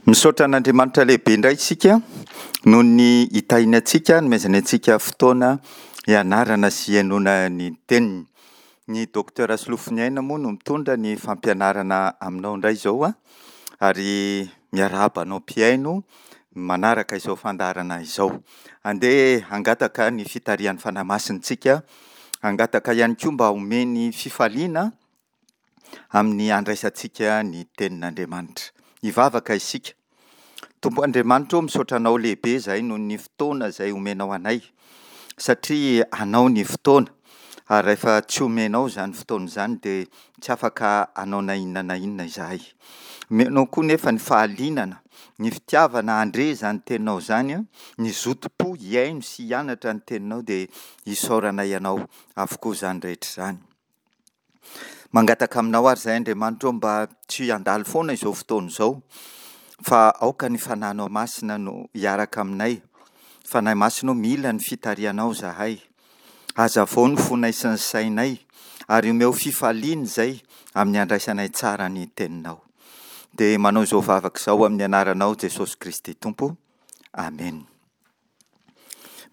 Misaotra an'Andriamanitra lehibe indray isika noho ny hitahiany antsika, nomezany antsika fotoana hianarana sy hihainoana ny teniny. Ny Docteur Solofoniaina moa no mitondra ny fampianarana aminao indray izao ary miarahaba anao mpihaino manaraka izao fandaharana izao. Andeha hangataka ny fitarihan'ny Fanahy Masina isika, hangataka ihany koa mba homeny fifaliana amin'ny handraisantsika ny tenin'Andriamanitra. Hivavaka isika. Tompo Andriamanitra ô, misaotra Anao lehibe izahay noho ny fotoana izay omenao anay, satria Anao ny fotoana, ary rehefa tsy omenao izany fotoana izany dia tsy afaka hanao na inona na inona izahay. Omenao koa nefa ny fahalianana, ny fitiavana handre izany teninao izany, ny zotom-po hihaino sy hianatra ny teninao dia isaoranay Anao avokoa izany rehetra izany. Mangataka aminao ary izahay Andriamanitra ô mba tsy handalo foana izao fotoana izao fa aoka ny Fanahinao Masina no hiaraka aminay. Fanahy Masina ô mila ny fitarihanao izahay. Hazavao ny fonay sy ny sainay ary omeo fifaliana izay amin'ny handraisanay tsara ny teninao. Dia manao izao vavaka izao amin'ny anaranao Jesosy Kristy Tompo. Amena.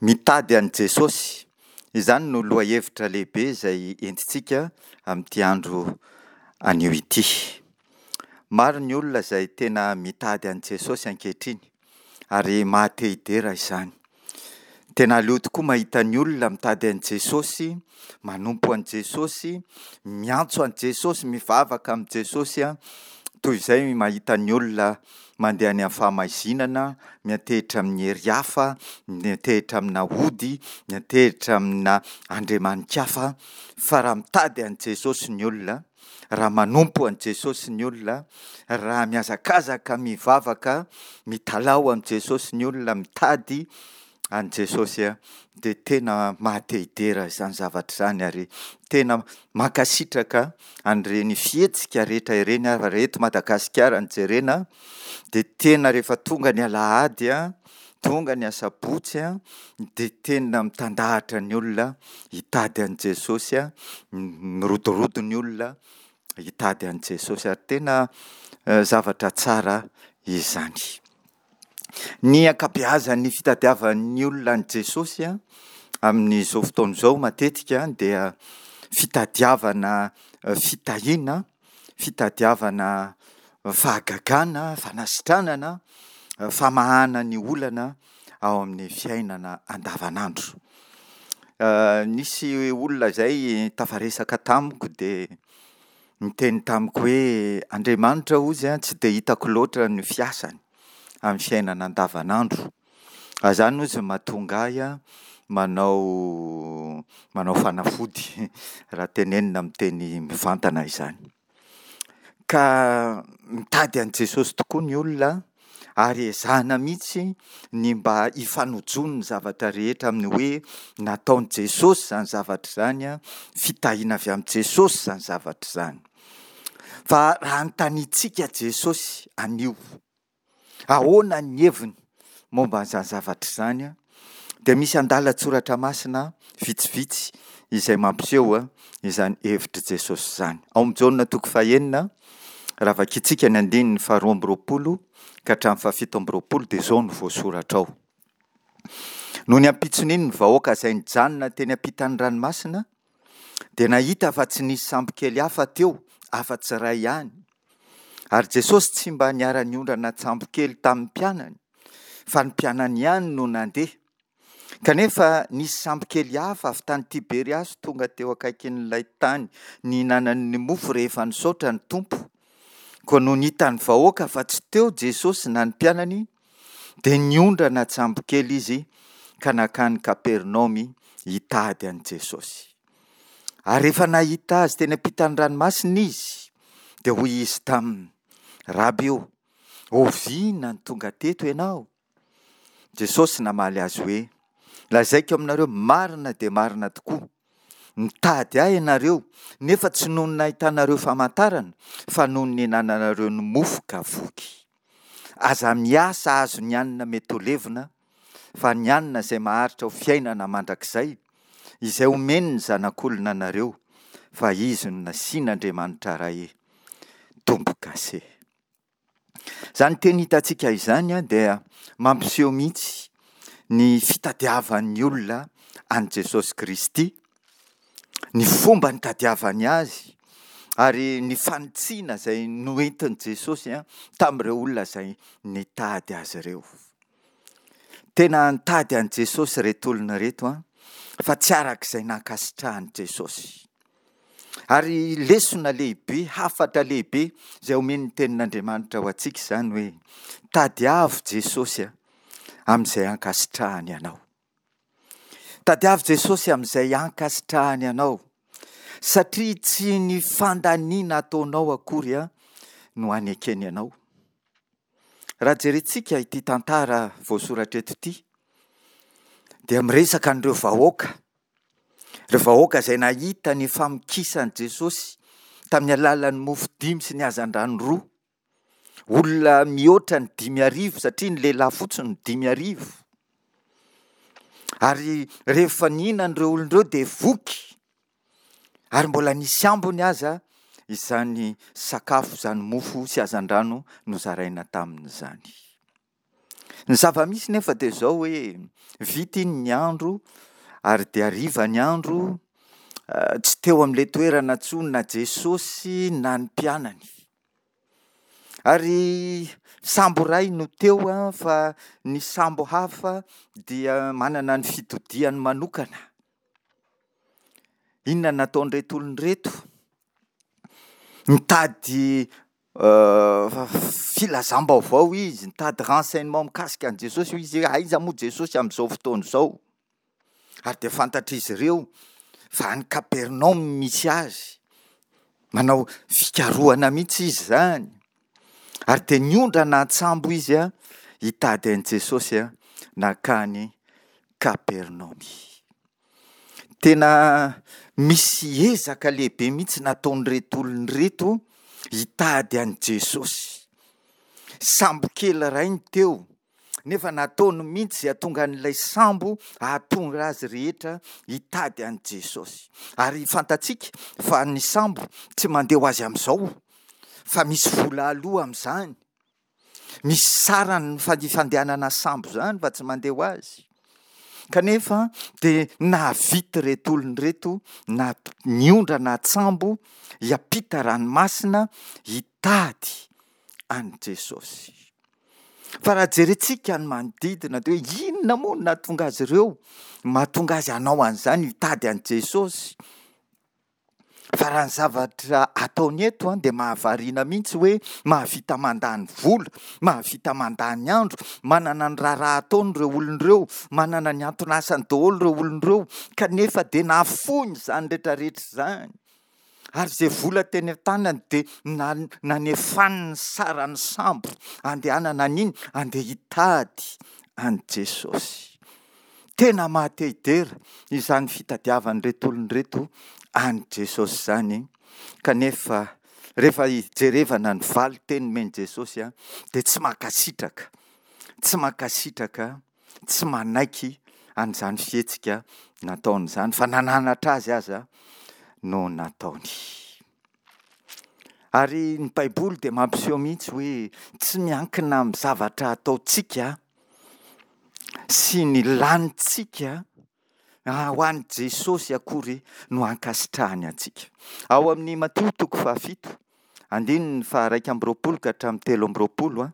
Mitady an'i Jesosy. Izany no lohahevitra lehibe izay entintsika amin'ity andro anio ity. Maro ny olona izay tena mitady an'i Jesosy ankehitriny ary maha-te hidera izany. Tena aleo tokoa mahita ny olona mitady an'i Jesosy, manompo an'i Jesosy, miantso an'i Jesosy, mivavaka amin'i Jesosy, toy izay mahita ny olona mandeha any amin'ny fahamaizinana, miantehitra amin'ny hery hafa, miantehitra amina ody, miantehitra amina andriamani-kafa, fa raha mitady an'i Jesosy ny olona, raha manompo an'i Jesosy ny olona, raha mihazakazaka mivavaka, mitalaho amin'i Jesosy ny olona, mitady an'i Jesosy dia tena maha-te-hidera izany zavatra izany ary tena mankasitraka an'ireny fihetsika rehetra ireny ary raha eto Madagasikara no jerena dia tena rehefa tonga ny alahady, tonga ny asabotsy dia tena mitandahatra ny olona hitady an'i Jesosy, mirodorodo ny olona hitady an'i Jesosy ary tena zavatra tsara izany. Ny ankabeazan'ny fitadiavan'ny olona an'i Jesosy amin'izao fotoana izao matetika dia fitadiavana fitahiana, fitadiavana fahagagana, fanasitranana, famahana ny olana ao amin'ny fiainana andavanandro. Nisy olona izay tafaresaka tamiko dia niteny tamiko hoe Andriamanitra hozy tsy dia hitako loatra ny fiasany amin'ny fiainana andavanandro. Izany hozy no mahatonga ahy manao manao fanafody raha tenenina amin'ny teny mivantana izany. Ka mitady an'i Jesosy tokoa ny olona ary ezahana mihitsy ny mba hifanojoan'ny zavatra rehetra amin'ny hoe nataon'i Jesosy izany zavatra izany, fitahiana avy amin'i Jesosy izany zavatra izany. Fa raha anontaniantsika Jesosy anio, ahoana ny heviny momba an'izany zavatra izany, dia misy andalan-tsoratra masina vitsivitsy izay mampiseho izany hevitr'i Jesosy izany. Ao amin'i Jaona toko fahenina, raha vakintsika ny andininy faharoa amby roapolo ka hatramin'ny fahafito amby roapolo dia izao no voasoratra ao. Nony ampitson'iny ny vahoaka izay nijanona teny ampitan'ny ranomasina dia nahita fa tsy nisy sambokely hafa teo afa-tsy iray ihany. Ary Jesosy tsy mba niara-niondrana an-tsambokely tamin'ny mpianany, fa ny mpianany ihany no nandeha. Kanefa nisy sambokely hafa avy tany Tiberiasy tonga teo akaikin'ilay tany nihinanany ny mofo rehefa nisaotra ny Tompo. Koa nony hitan'ny vahoaka fa tsy teo Jesosy na ny mpianany, dia niondrana an-tsambokely izy ka nankany Kapernaomy hitady an'i Jesosy. Ary rehefa nahita azy teny ampitan'ny ranomasina izy, dia hoy izy taminy, Raby ô, oviana no tonga teto ianao? Jesosy namaly azy hoe, Lazaiko aminareo marina dia marina tokoa, mitady ahy ianareo, nefa tsy noho ny nahitanareo famantarana, fa noho ny nihinananareo ny mofo ka voky. Aza miasa hahazo ny hanina mety ho levona, fa ny hanina izay maharitra ho fiainana mandrakizay, izay omen'ny Zanak'olona anareo, fa Izy no nasian'Andriamanitra Ray tombo-kase. Izany teny hitantsika izany dia mampiseho mihitsy ny fitadiavan'ny olona an'i Jesosy Kristy, ny fomba nitadiavany azy ary ny fanitsiana izay noentin'i Jesosy tamin'ireo olona izay nitady azy ireo. Tena nitady an'i Jesosy ireto olona ireto fa tsy araka izay nankasitrahan'i Jesosy. Ary lesona lehibe, hafatra lehibe izay omen'ny tenin'Andriamanitra ho antsika izany hoe tadiavo Jesosy amin'izay ankasitrahany anao. Tadiavo Jesosy amin'izay ankasitrahany anao satria tsy ny fandaniana ataonao akory no anekeny anao. Raha jerentsika ity tantara voasoratra eto ity dia miresaka an'ireo vahoaka Ireo vahoaka izay nahita ny famokisan'i Jesosy tamin'ny alalan'ny mofo dimy sy ny hazandrano roa. Olona mihoatra ny 5000 satria ny lehilahy fotsiny no 5000. Ary rehefa nihinana ireo olona ireo dia voky. Ary mbola nisy ambiny aza izany sakafo izany mofo sy hazandrano nozaraina tamin'izany. Ny zava-misy nefa dia izao hoe vita iny ny andro ary dia hariva ny andro, tsy teo amin'ilay toerana intsony na Jesosy na ny mpianany. Ary sambo iray no teo fa ny sambo hafa dia manana ny fitodihany manokana. Inona no nataon'ireto olona ireto? Nitady filazam-baovao izy, nitady renseignement mikasika an'i Jesosy hoy izy hoe aiza moa Jesosy amin'izao fotoana izao? Ary dia fantatr'izy ireo fa any Kapernaomy misy azy. Manao fikarohana mihitsy izy izany. Ary dia niondrana an-tsambo izy hitady an'i Jesosy nankany Kapernaomy. Tena misy ezaka lehibe mihitsy nataon'ireto olona ireto hitady an'i Jesosy. Sambo kely iray ny teo, nefa nataony mihitsy izay hahatonga an'ilay sambo hahatonga azy rehetra hitady an'i Jesosy. Ary fantatsika fa ny sambo tsy mandeha ho azy amin'izao, fa misy vola aloa amin'izany. Misy sarany ny fandehanana sambo izany fa tsy mandeha ho azy. Kanefa dia nahavita ireto olona ireto na niondrana an-tsambo hiampita ranomasina hitady an'i Jesosy. Fa raha jerentsika ny manodidina dia hoe inona moa no nahatonga azy ireo, mahatonga azy hanao an'izany hitady an'i Jesosy? Fa raha ny zavatra ataony eto an, dia mahavariana mihitsy hoe mahavita mandany vola, mahavita mandany andro, manana ny raharaha ataony ireo olona ireo, manana ny anton'asany daholo ireo olona ireo, kanefa dia nafoiny izany rehetra rehetra izany. Ary izay vola teny an-tanany dia nanefany ny saran'ny sambo andehanana an'iny, andeha hitady an'i Jesosy. Tena maha te hidera izany fitadiavan'ireto olona ireto an'i Jesosy izany, kanefa rehefa jerevana ny valin-teny nomen'i Jesosy dia tsy mankasitraka, tsy mankasitraka, tsy manaiky an'izany fihetsika nataony izany fa nananatra azy aza no nataony. Ary ny Baiboly dia mampiseho mihitsy hoe tsy miankina amin'ny zavatra ataontsika sy ny lanintsika ho an'i Jesosy akory no ankasitrahany antsika. Ao amin'ny Matio toko fahafito, andininy faha-21 ka hatramin'ny 23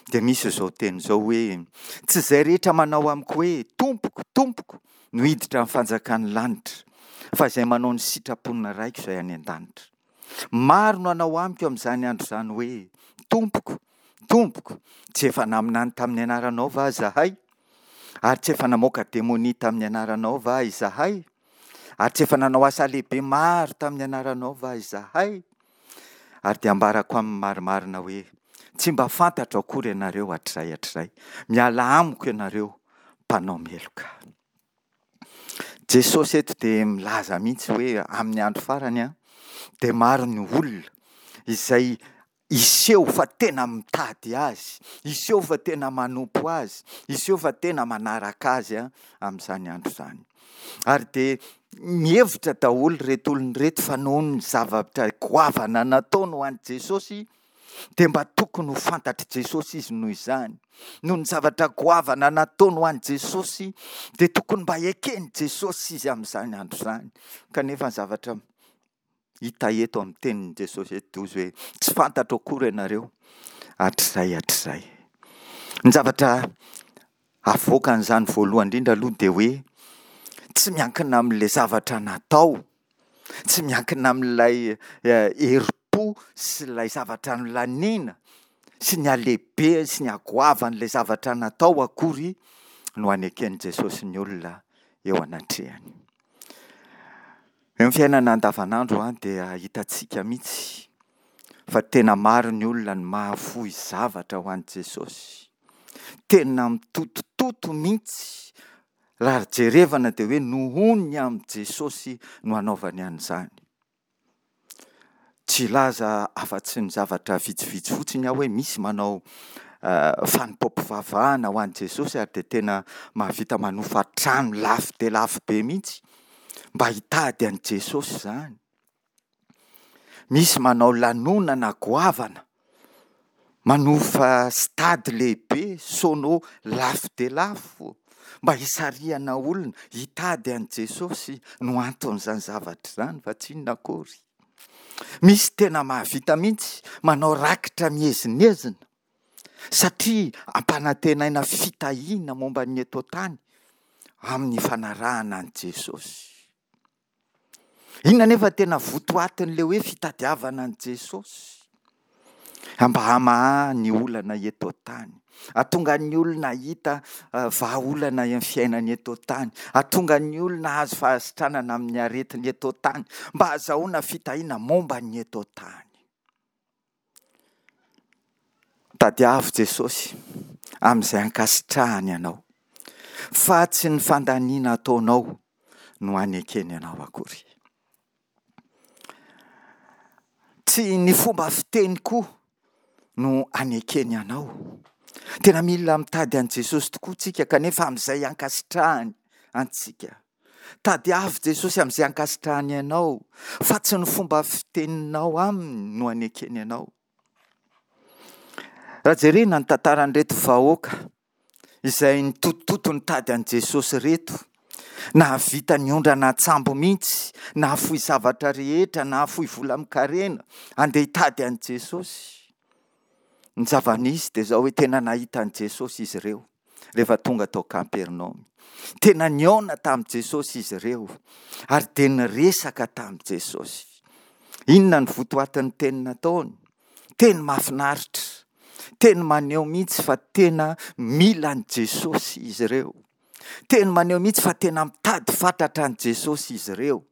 dia misy izao teny izao hoe, Tsy izay rehetra manao amiko hoe, Tompoko, Tompoko, no hiditra amin'ny fanjakan'ny lanitra, fa izay manao ny sitrapon'ny Raiko izay any an-danitra. Maro no hanao amiko amin'izany andro izany hoe, Tompoko, Tompoko, tsy efa naminany tamin'ny anaranao va izahay? Ary tsy efa namoaka demonia tamin'ny anaranao va izahay? Ary tsy efa nanao asa lehibe maro tamin'ny anaranao va izahay? Ary dia ambarako aminy marimarina hoe, Tsy mba fantatro akory ianareo hatrizay hatrizay. Miala amiko ianareo mpanao meloka. Jesosy eto dia milaza mihitsy hoe amin'ny andro farany dia maro ny olona izay hiseho fa tena mitady azy, hiseho fa tena manompo azy, hiseho fa tena manaraka azy amin'izany andro izany. Ary dia mihevitra daholo ireto olona ireto fa noho ny zavatra goavana nataony ho an'i Jesosy. Dia mba tokony ho fantatr'i Jesosy izy noho izany. Noho ny zavatra goavana nataony ho an'i Jesosy, dia tokony mba heken'i Jesosy izy amin'izany andro izany. Kanefa ny zavatra hita eto amin'ny tenin'i Jesosy eto dia hoy izy hoe, tsy fantatro akory ianareo hatrizay hatrizay. Ny zavatra avoakan'izany voalohany indrindra aloha dia hoe tsy miankina amin'ilay zavatra natao, tsy miankina amin'ilay herim-po sy ilay zavatra nolaniana sy ny halehibeny sy ny hagoavan'ilay zavatra natao akory no aneken'i Jesosy ny olona eo anatrehany. Eo amin'ny fiainana andavanandro dia hitantsika mihitsy fa tena maro ny olona no mahafoy zavatra ho an'i Jesosy. Tena mitotototo mihitsy raha jerevana dia hoe nohon'ny amin'i Jesosy no anaovany an'izany. Tsy hilaza afa-tsy ny zavatra vitsivitsy fotsiny aho hoe misy manao fanompoam-pivavahana ho an'i Jesosy ary dia tena mahavita manofa trano lafo dia lafo be mihitsy mba hitady an'i Jesosy izany. Misy manao lanonana goavana, manofa stade lehibe, sono lafo dia lafo mba hisarihana olona hitady an'i Jesosy no anton'izany zavatra izany fa tsy inona akory. Misy tena mahavita mihitsy manao rakitra miezinezina satria ampanantenaina fitahiana momba ny eto an-tany amin'ny fanarahana an'i Jesosy. Inona anefa tena votoatin'ilay hoe fitadiavana an'i Jesosy? Mba hamaha ny olana eto an-tany. Hahatonga ny olona hahita eh, vahaolana eo amin'ny fiainany eto an-tany. Hahatonga ny olona hahazo fahasitranana amin'ny aretiny eto an-tany. Mba hahazahoana fitahiana momba ny eto an-tany. Tadiavo Jesosy amin'izay ankasitrahany anao, fa tsy ny fandaniana ataonao no anekeny anao akory. Tsy ny fomba fiteny koa no anekeny anao. Tena mila mitady an'i Jesosy tokoa tsika kanefa amin'izay ankasitrahany antsika. Tadiavo Jesosy amin'izay ankasitrahany anao fa tsy ny fomba fiteninao aminy no anekeny anao. Raha jerena ny tantaran'ireto vahoaka izay nitotototo nitady an'i Jesosy ireto, nahavita niondrana an-tsambo mihitsy, nahafoy zavatra rehetra, nahafoy vola amin-karena, andeha hitady an'i Jesosy. Ny zava-nisy dia izao hoe tena nahita an'i Jesosy izy ireo rehefa tonga tao Kapernaomy. Tena nihaona tamin'i Jesosy izy ireo ary dia niresaka tamin'i Jesosy. Inona ny votoatin'ny teny nataony? Teny mahafinaritra, teny maneho mihitsy fa tena mila an'i Jesosy izy ireo. Teny maneho mihitsy fa tena mitady fatratra an'i Jesosy izy ireo.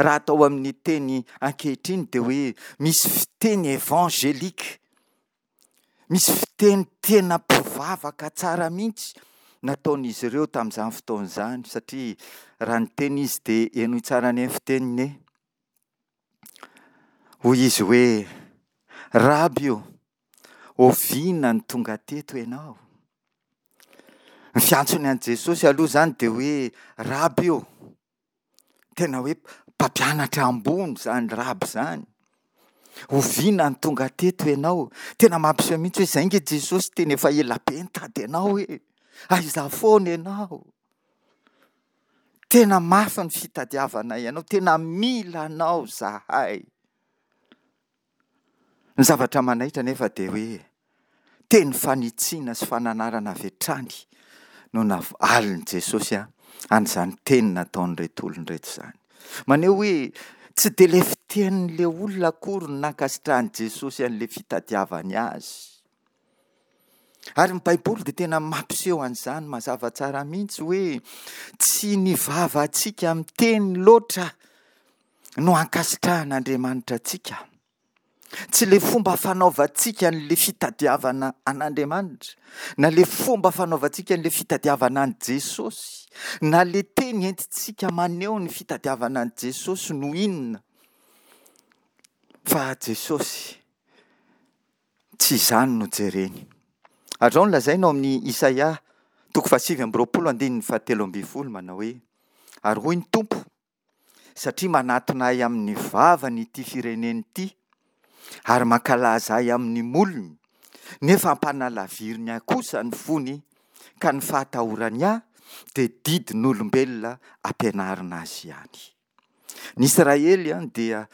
Raha atao amin'ny teny ankehitriny dia hoe misy fiteny évangélique, misy fiteny tena mpivavaka tsara mihitsy nataon'izy ireo tamin'izany fotoana izany satria raha niteny izy dia henoy tsara anie ny fiteniny e. Hoy izy hoe, Raby o, Oviana no tonga teto ianao? Ny fiantsony an'i Jesosy aloha izany dia hoe Raby ô. Tena hoe mpampianatra ambony izany Raby izany. Oviana no tonga teto ianao? Tena mampiseho mihitsy hoe izay nge Jesosy tena efa ela be nitady anao e. Aiza foana ianao? Tena mafy ny fitadiavanay anao, tena mila anao zahay. Ny zavatra manaitra anefa dia hoe teny fanitsiana sy fananarana avy hatrany no navalin'i Jesosy an'izany teny nataon'ireto olona ireto izany. Maneho hoe tsy dia ilay fitenin'ilay olona akory no nankasitrahan'i Jesosy an'ilay fitadiavany azy. Ary ny Baiboly dia tena mampiseho an'izany mazava tsara mihitsy hoe tsy ny vavantsika miteny loatra no ankasitrahan'Andriamanitra antsika. Tsy ilay fomba fanaovantsika an'ilay fitadiavana an'Andriamanitra, na ilay fomba fanaovantsika an'ilay fitadiavana an'i Jesosy, na ilay teny entintsika maneho ny fitadiavana an'i Jesosy no inona. Fa Jesosy, tsy izany no jereny. Ary izao no lazaina ao amin'ny Isaia toko fahasivy amby roapolo andininy fahatelo ambin'ny folo manao hoe, Ary hoy ny Tompo, satria manatona ahy amin'ny vavany ity firenena ity, ary mankalaza Ahy amin'ny molony, nefa ampanalaviriny Ahy kosa ny fony, ka ny fahatahorany Ahy dia didin'olombelona ampianarina azy ihany. Ny Israely dia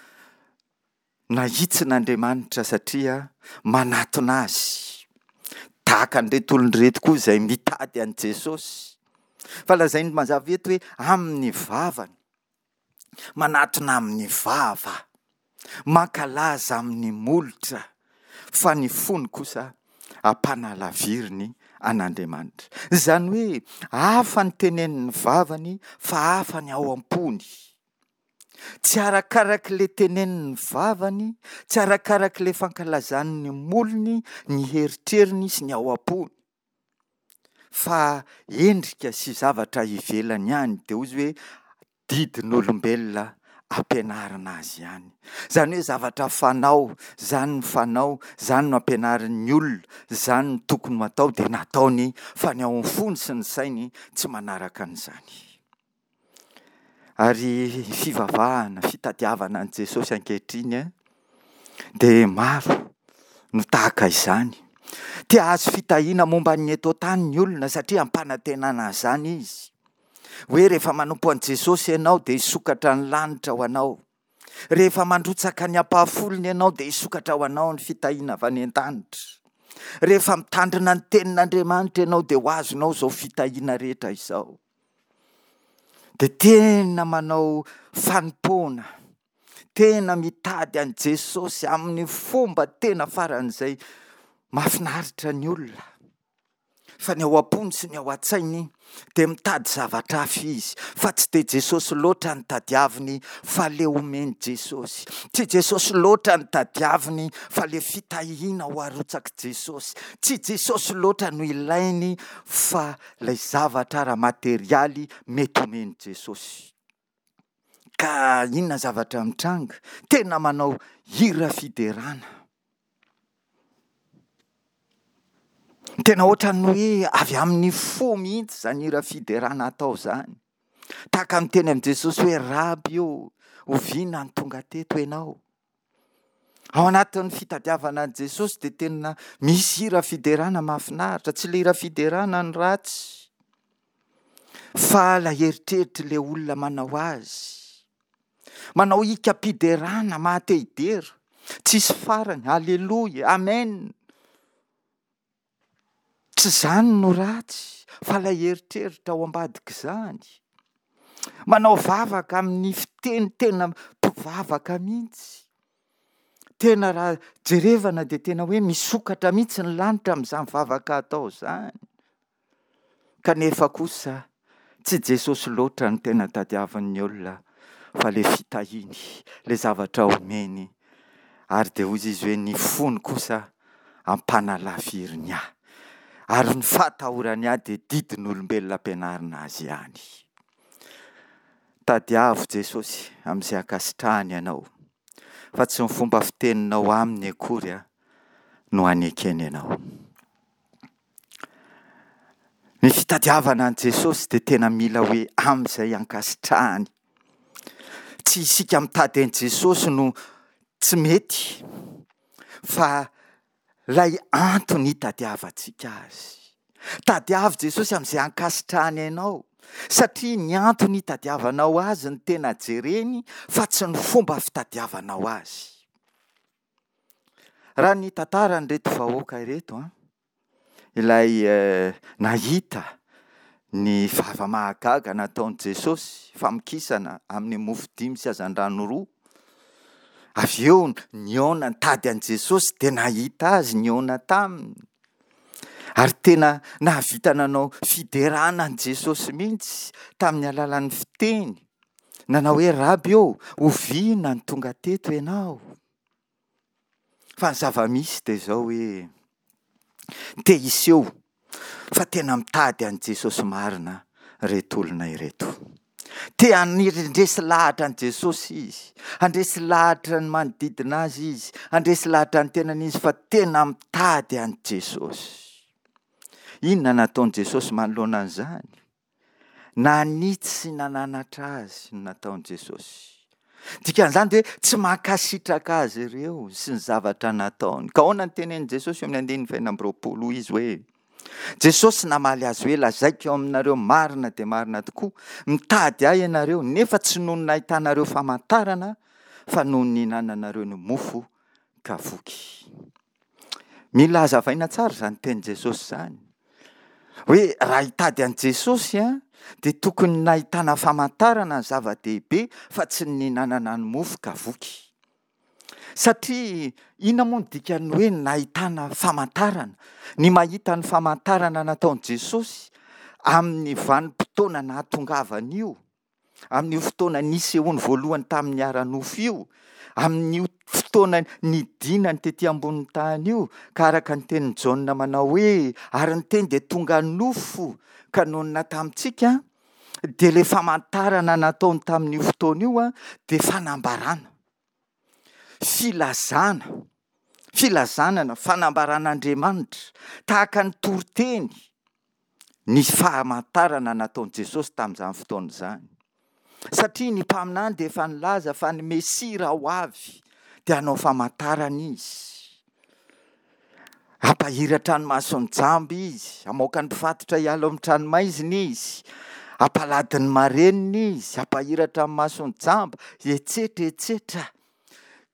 nahitsin'Andriamanitra satria manatona Azy, tahaka an'ireto olona ireto koa izay mitady an'i Jesosy. Fa lazainy mazava eto hoe amin'ny vavany. Manatona amin'ny vava, mankalaza amin'ny molotra, fa ny fony kosa ampanalaviriny an'Andriamanitra. Izany hoe hafa ny tenenin'ny vavany fa hafa ny ao am-pony. Tsy arakarak'ilay tenenin'ny vavany, tsy arakarak'ilay fankalazan'ny molony ny heritreriny sy ny ao am-pony. Fa endrika sy zavatra ivelany ihany, dia hozy hoe didin'olombelona ampianarina azy ihany. Izany hoe zavatra fanao, izany ny fanao, izany no ampianarin'ny olona, izany no tokony ho atao dia nataony fa ny ao amin'ny fony sy ny sainy tsy manaraka an'izany. Ary fivavahana, fitadiavana an'i Jesosy ankehitriny dia maro no tahaka izany. Te hahazo fitahiana momba ny eto an-tany ny olona satria ampanantenana an'izany izy. Hoe rehefa manompo an'i Jesosy ianao dia hisokatra ny lanitra ho anao. Rehefa mandrotsaka ny ampahafolony ianao dia hisokatra ho anao ny fitahiana avy any an-danitra. Rehefa mitandrina ny tenin'Andriamanitra ianao dia ho azonao izao fitahiana rehetra izao. Dia tena manao fanompoana, tena mitady an'i Jesosy amin'ny fomba tena faran'izay mahafinaritra ny olona. Fa ny ao am-pony sy ny ao an-tsainy dia mitady zavatra hafa izy, fa tsy dia Jesosy loatra no tadiaviny fa le omen'i Jesosy. Tsy Jesosy loatra no tadiaviny fa le fitahiana ho arotsak'i Jesosy. Tsy Jesosy loatra no ilainy fa ilay zavatra ara-materialy mety omen'i Jesosy. Ka inona zavatra mitranga? Tena manao hira fiderana. Tena ohatran'ny hoe avy amin'ny fo mihitsy izany hira fiderana atao izany. Tahaka ny teny amin'i Jesosy hoe Raby ô, oviana no tonga teto ianao? Ao anatin'ny fitadiavana an'i Jesosy dia tena misy hira fiderana mahafinaritra. Tsy ilay hira fiderana no ratsy fa ilay eritreritr'ilay olona manao azy. Manao hikam-piderana maha te hidera. Tsisy farany, aleloia, amen. Tsy izany no ratsy fa ilay eritreritra ao ambadik'izany. Manao vavaka amin'ny fiteny tena mpivavaka mihitsy. Tena raha jerevana dia tena hoe misokatra mihitsy ny lanitra amin'izany vavaka atao izany. Kanefa kosa tsy Jesosy loatra no tena tadiavin'ny olona fa le fitahiany, le zavatra omeny ary dia hoy izy hoe ny fony kosa ampanalaviriny ahy ary ny fahatahorany ahy dia didin'olombelona ampianarina azy ihany. Tadiavo Jesosy amin'izay ankasitrahany anao fa tsy ny fomba fiteninao aminy akory no anekeny anao. Ny fitadiavana an'i Jesosy dia tena mila hoe amin'izay ankasitrahany. Tsy isika mitady an'i Jesosy no tsy mety fa ilay antony hitadiavantsika azy. Tadiavo Jesosy amin'izay ankasitrahany anao satria ny antony hitadiavanao azy no tena jereny fa tsy ny fomba fitadiavanao azy. Raha ny tantaran'ireto vahoaka ireto an, ilay nahita ny zava-mahagaga nataon'i Jesosy, famokisana amin'ny mofo dimy sy hazandrano roa, avy eo nihaona nitady an'i Jesosy dia nahita azy, nihaona taminy, ary tena nahavita nanao fiderana an'i Jesosy mihitsy tamin'ny alalan'ny fiteny, nanao hoe Raby ô, oviana no tonga teto ianao? Fa ny zava-misy dia izao hoe te hiseho fa tena mitady an'i Jesosy marina ireto olona ireto. Te handresy lahatra an'i Jesosy izy, handresy lahatra ny manodidina azy izy, handresy lahatra ny tenany izy fa tena mitady an'i Jesosy. Inona nataon'i Jesosy manoloana an'izany? Nanitsy sy nananatra azy no nataon'i Jesosy. Dikan'izany dia hoe tsy mankasitraka azy ireo sy ny zavatra nataony. Ka ahoana ny tenenin'i Jesosy eo amin'ny andininy faha-26? Hoy izy hoe, Jesosy namaly azy hoe, Lazaiko aminareo marina dia marina tokoa, mitady ahy ianareo, nefa tsy noho ny nahitanareo famantarana, fa noho ny nihinananareo ny mofo ka voky. Mila hazavaina tsara izany tenin'i Jesosy izany. Hoe raha hitady an'i Jesosy dia tokony nahitana famantarana ny zava-dehibe fa tsy ny nihinanana ny mofo ka voky. Satria inona moa ny dikan'ny hoe nahitana famantarana? Ny mahita ny famantarana nataon'i Jesosy amin'ny vanim-potoana nahatongavany io, amin'io fotoana nisehoany voalohany tamin'ny ara-nofo io, amin'io fotoana nidinany tety ambonin'ny tany io, ka araka ny tenin'i Jaona manao hoe, ary ny teny dia tonga nofo ka nonina tamintsika, dia ilay famantarana nataony tamin'io fotoana io dia fanambarana, filazana, filazanana, fanambaran'Andriamanitra, tahaka ny toriteny ny famantarana nataon'i Jesosy tamin'izany fotoana izany. Satria ny mpaminany dia efa nilaza fa ny Mesia raha ho avy dia hanao famantarana izy. Hampahiratra ny mason'ny jamba izy, hamoaka ny mpifatotra hiala ao amin'ny tranomaizina izy, hampalady ny marenina izy, hampahiratra ny mason'ny jamba, etsetra etsetra.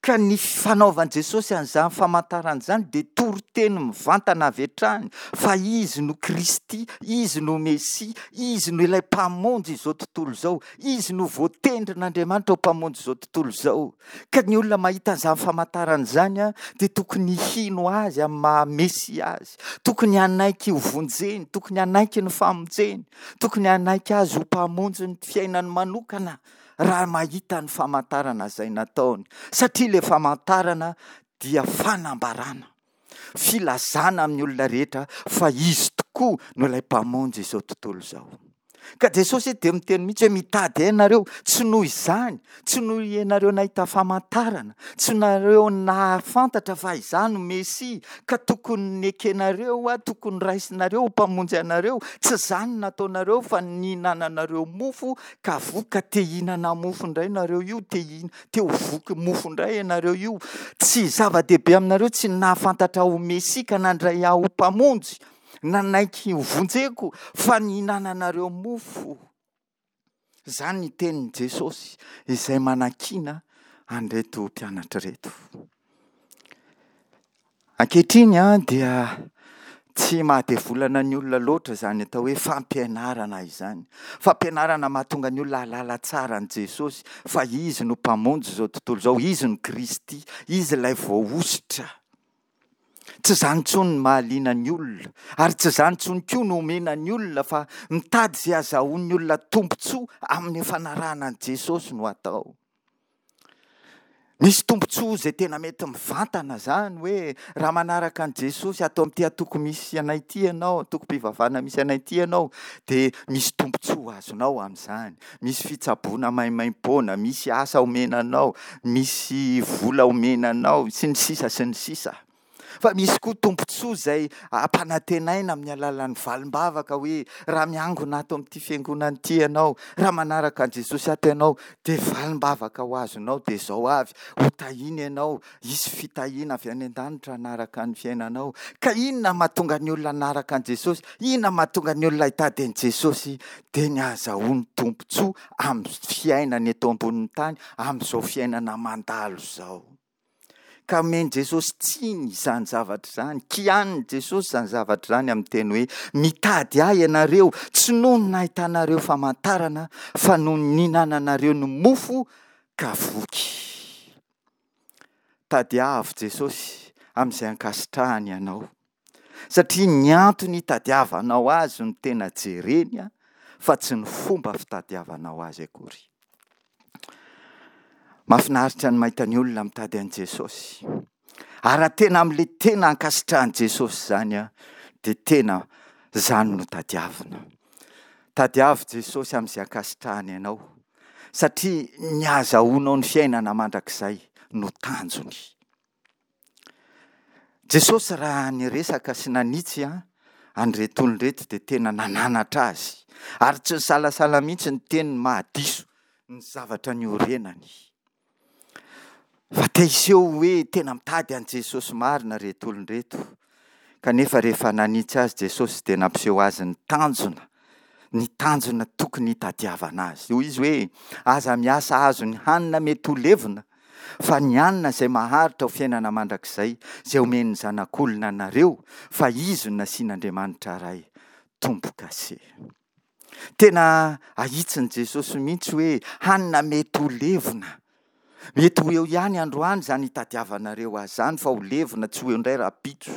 Ka ny fanaovan'i Jesosy an'izany famantarana izany dia toriteny mivantana avy hatrany fa Izy no Kristy, Izy no Mesia, Izy no ilay Mpamonjy izao tontolo izao, Izy no voatendrin'Andriamanitra ho Mpamonjy izao tontolo izao. Ka ny olona mahita an'izany famantarana izany dia tokony hino Azy amin'ny maha Mesia Azy, tokony hanaiky ho vonjeny, tokony hanaiky ny famonjeny, tokony hanaiky Azy ho Mpamonjy ny fiainany manokana. raha mahita ny famantarana izay nataony, satria ilay famantarana dia fanambarana, filazana amin'ny olona rehetra fa Izy tokoa no ilay Mpamonjy izao tontolo izao. Ka Jesosy dia miteny mihitsy hoe mitady ahy ianareo, tsy noho izany, tsy noho ianareo nahita famantarana, tsy nareo nahafantatra fa izaho no Mesia, ka tokony nekenareo aho, tokony raisinareo ho Mpamonjy anareo, tsy izany no nataonareo fa nihinananareo mofo Ka voky ka te hihinana mofo indray nareo io, te hihina, te ho voky mofo indray ianareo io. Tsy zava-dehibe aminareo tsy ny nahafantatra ahy ho Mesia ka nandray ahy ho Mpamonjy, nanaiky ho vonjeko, fa ny hihinananareo mofo. Izany ny tenin'i Jesosy izay manakiana an'ireto mpianatra ireto. Ankehitriny dia tsy mahadevolana ny olona loatra izany atao hoe fampianarana izany. Fampianarana mahatonga ny olona hahalala tsara an'i Jesosy fa Izy no Mpamonjy izao tontolo izao, Izy no Kristy, Izy ilay voahosotra. Tsy izany intsony ny mahaliana ny olona ary tsy izany intsony koa no omena ny olona fa mitady izay hazahoan'ny olona tombontsoa amin'ny fanarahana an'i Jesosy no atao. Misy tombontsoa izay tena mety mivantana izany hoe raha manaraka an'i Jesosy ato amin'ity antoko misy anay ity ianao, antokom-pivavahana misy anay ity ianao, dia misy tombontsoa azonao amin'izany. Misy fitsaboana maimaimpoana, misy asa omena anao, misy vola omena anao, sy ny sisa sy ny sisa. Fa misy koa tombontsoa izay ampanantenaina amin'ny alalan'ny valim-bavaka hoe raha miangona ato amin'ity fiangonana ity ianao, raha manaraka an'i Jesosy ato ianao, dia valim-bavaka ho azonao dia izao avy, ho tahiana ianao, hisy fitahiana avy any an-danitra hanaraka ny fiainanao. Ka inona mahatonga ny olona hanaraka an'i Jesosy? Inona mahatonga ny olona hitady an'i Jesosy? Dia ny hahazahoany tombontsoa amin'ny fiainany eto ambonin'ny tany, amin'izao fiainana mandalo izao. Ka omen'i Jesosy tsiny izany zavatra izany, kianin'i Jesosy izany zavatra izany amin'ny teny hoe, Mitady ahy ianareo, tsy noho ny nahitanareo famantarana, fa noho ny nihinananareo ny mofo ka voky. Tadiavo Jesosy amin'izay ankasitrahany ianao. Satria ny antony hitadiavanao azy no tena jereny fa tsy ny fomba fitadiavanao azy akory. Mahafinaritra ny mahita ny olona mitady an'i Jesosy. Ary raha tena amin'ilay tena ankasitrahan'i Jesosy izany dia tena izany no tadiavina. Tadiavo Jesosy amin'izay ankasitrahany anao satria ny ahazahoanao ny fiainana mandrakizay no tanjony. Jesosy raha niresaka sy nanitsy an'ireto olona ireto dia tena nananatra azy ary tsy nisalasala mihitsy niteny ny mahadiso ny zavatra niorenany. Fa te hiseho hoe tena mitady an'i Jesosy marina ireto olona ireto. Kanefa rehefa nanitsy azy Jesosy dia nampiseho azy ny tanjona, ny tanjona tokony hitadiavana azy. Hoy izy hoe, Aza miasa hahazo ny hanina mety ho levona, fa ny hanina izay maharitra ho fiainana mandrakizay, izay omen'ny Zanak'olona anareo, fa Izy no nasian'Andriamanitra Ray tombo-kase. Tena ahitsin'i Jesosy mihitsy hoe hanina mety ho levona. Mety ho eo ihany androany izany hitadiavanareo azy izany fa ho levona tsy ho eo indray rahampitso.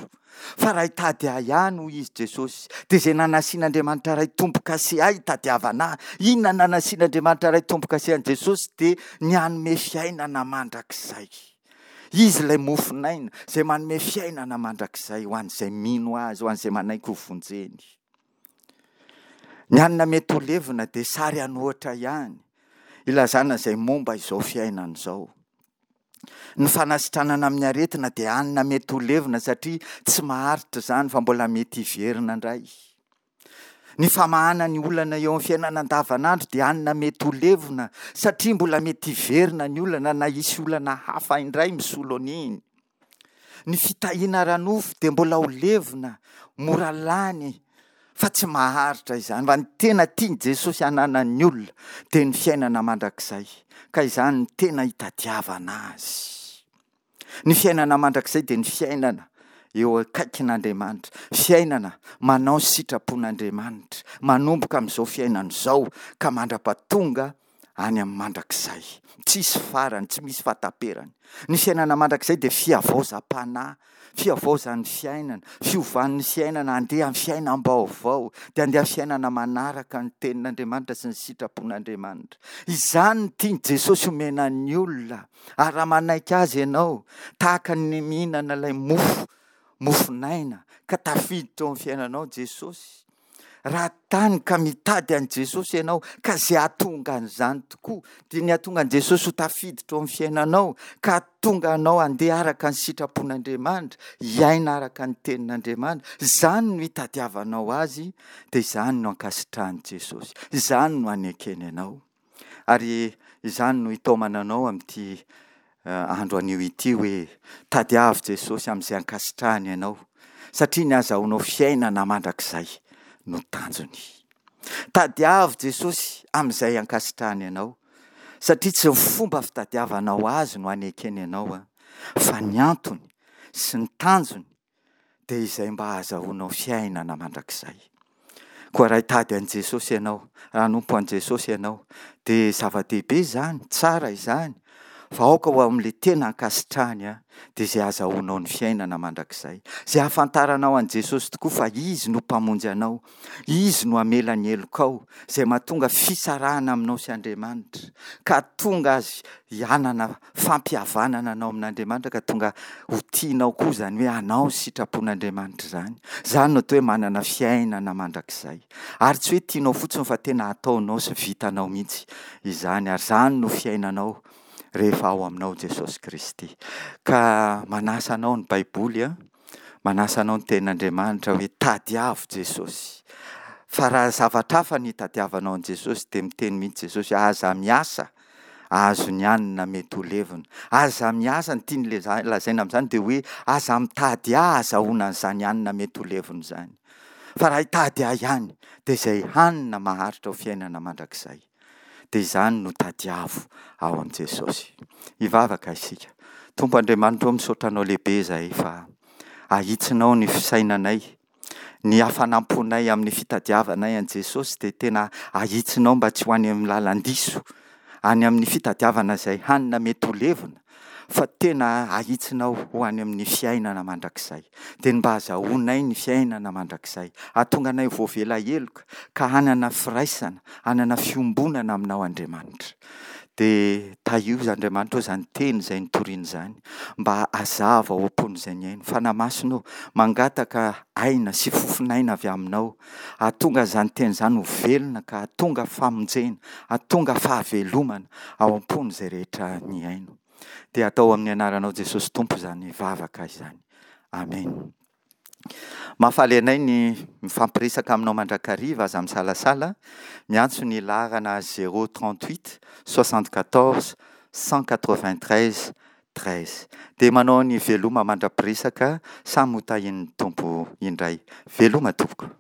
Fa raha hitady ahy ihany hoy izy Jesosy dia izay nanasian'Andriamanitra Ray tombo-kase ahy hitadiavana ahy. Inona no nanasian'Andriamanitra Ray tombo-kase an'i Jesosy dia ny hanome fiainana mandrakizay. Izy ilay mofon'aina izay manome fiainana mandrakizay ho an'izay mino azy, ho an'izay manaiky ho vonjeny. Ny hanina mety ho levona dia sary an'ohatra ihany ilazana izay momba izao fiainana izao. Ny fanasitranana amin'ny aretina dia hanina mety ho levona satria tsy maharitra izany fa mbola mety hiverina indray. Ny famahana ny olana eo amin'ny fiainana andavanandro dia hanina mety ho levona satria mbola mety hiverina ny olana na hisy olana hafa indray misolo an'iny. Ny fitahiana ara-nofo dia mbola ho levona, mora lany, fa tsy maharitra izany. Fa ny tena tian'i Jesosy hananan'ny olona dia ny fiainana mandrakizay, ka izany no tena hitadiavana azy. Ny fiainana mandrakizay dia ny fiainana eo akaikin'Andriamanitra, fiainana manao ny sitrapon'Andriamanitra, manomboka amin'izao fiainana izao ka mandra-pahatonga any amin'ny mandrakizay. Tsisy farany, tsy misy fahataperany. Ny fiainana mandrakizay dia fihavaozam-panahy, fihavaozan'ny fiainana, fiovan'ny fiainana handeha amin'ny fiainam-baovao, dia handeha amin'ny fiainana manaraka ny tenin'Andriamanitra sy ny sitrapon'Andriamanitra. Izany no tian'i Jesosy homena ny olona, ary raha manaiky Azy ianao, tahaka ny mihinana ilay mofo, mofon'aina, ka tafiditra ao amin'ny fiainanao Jesosy, Raha tany ka mitady an'i Jesosy ianao, ka izay hahatonga an'izany tokoa, dia ny hahatonga an'i Jesosy ho tafiditra ao amin'ny fiainanao, ka hahatonga anao handeha araka ny sitrapon'Andriamanitra, hiaina araka ny tenin'Andriamanitra, izany no hitadiavanao Azy, dia izany no ankasitrahan'i Jesosy, izany no anekeny anao. Ary izany no hitaomana anao amin'ity andro anio ity hoe, tadiavo Jesosy amin'izay ankasitrahany anao, satria ny hazahoanao fiainana mandrakizay no tanjony. Tadiavo Jesosy amin'izay ankasitrahany anao, satria tsy ny fomba fitadiavanao azy no anekeny anao, fa ny antony sy ny tanjony dia izay mba hahazahoanao fiainana mandrakizay. Koa raha hitady an'i Jesosy ianao, raha hanompo an'i Jesosy ianao, dia zava-dehibe izany, tsara izany, fa aoka ho amin'ilay tena ankasitrahany dia izay hahazahoanao ny fiainana mandrakizay. Izay hahafantaranao an'i Jesosy tokoa fa Izy no Mpamonjy anao, Izy no hamela ny helokao, izay mahatonga fisarahana aminao sy Andriamanitra, ka hahatonga azy hanana fampihavanana anao amin'Andriamanitra ka tonga ho tianao koa izany hoe hanao ny sitrapon'Andriamanitra izany. Izany no atao hoe manana fiainana mandrakizay. Ary tsy hoe tianao fotsiny fa tena ataonao sy vitanao mihitsy izany ary izany no fiainanao rehefa ao aminao Jesosy Kristy. Ka manasa anao ny Baiboly an. Manasa anao ny Tenin'Andriamanitra hoe tadiavo Jesosy. Fa raha zavatra hafa ny hitadiavanao an'i Jesosy dia miteny mihitsy Jesosy hoe aza miasa ahazo ny hanina mety ho levona. Aza miasa, ny tiany lazaina amin'izany dia hoe aza mitady ahy ahazahoana an'izany hanina mety ho levona izany. Fa raha hitady ahy ihany dia izay hanina maharitra ho fiainana mandrakizay. Dia izany no tadiavo ao amin'i Jesosy. Hivavaka isika. Tompo Andriamanitra ô, misaotra Anao lehibe izahay fa ahitsinao ny fisainanay, ny hafanam-ponay amin'ny fitadiavanay an'i Jesosy dia tena ahitsinao mba tsy ho any amin'ny lalan-diso, any amin'ny fitadiavana izay hanina mety ho levona, fa tena ahitsinao ho any amin'ny fiainana mandrakizay. Dia ny mba hazahoanay ny fiainana mandrakizay, hahatonga anay ho voavela heloka ka hanana firaisana, hanana fiombonana aminao Andriamanitra. Dia tahio Andriamanitra ô izany teny izay nitoriana izany mba hazava ao am-pon'izay nihaino. Fanahy Masina ô, mangataka aina sy fofon'aina avy aminao hahatonga izany teny izany ho velona ka hahatonga famonjena, hahatonga fahavelomana ao am-pon'izay rehetra nihaino. Dia atao amin'ny anaranao Jesosy Tompo izany vavaka izany. Amen. Mahafaly anay ny mifampiresaka aminao mandrakariva, aza misalasala miantso ny laharana 0 38 74 193. 13. Dia manao ny veloma mandra-piresaka, samy ho tahian'ny Tompo indray. Veloma tompoko.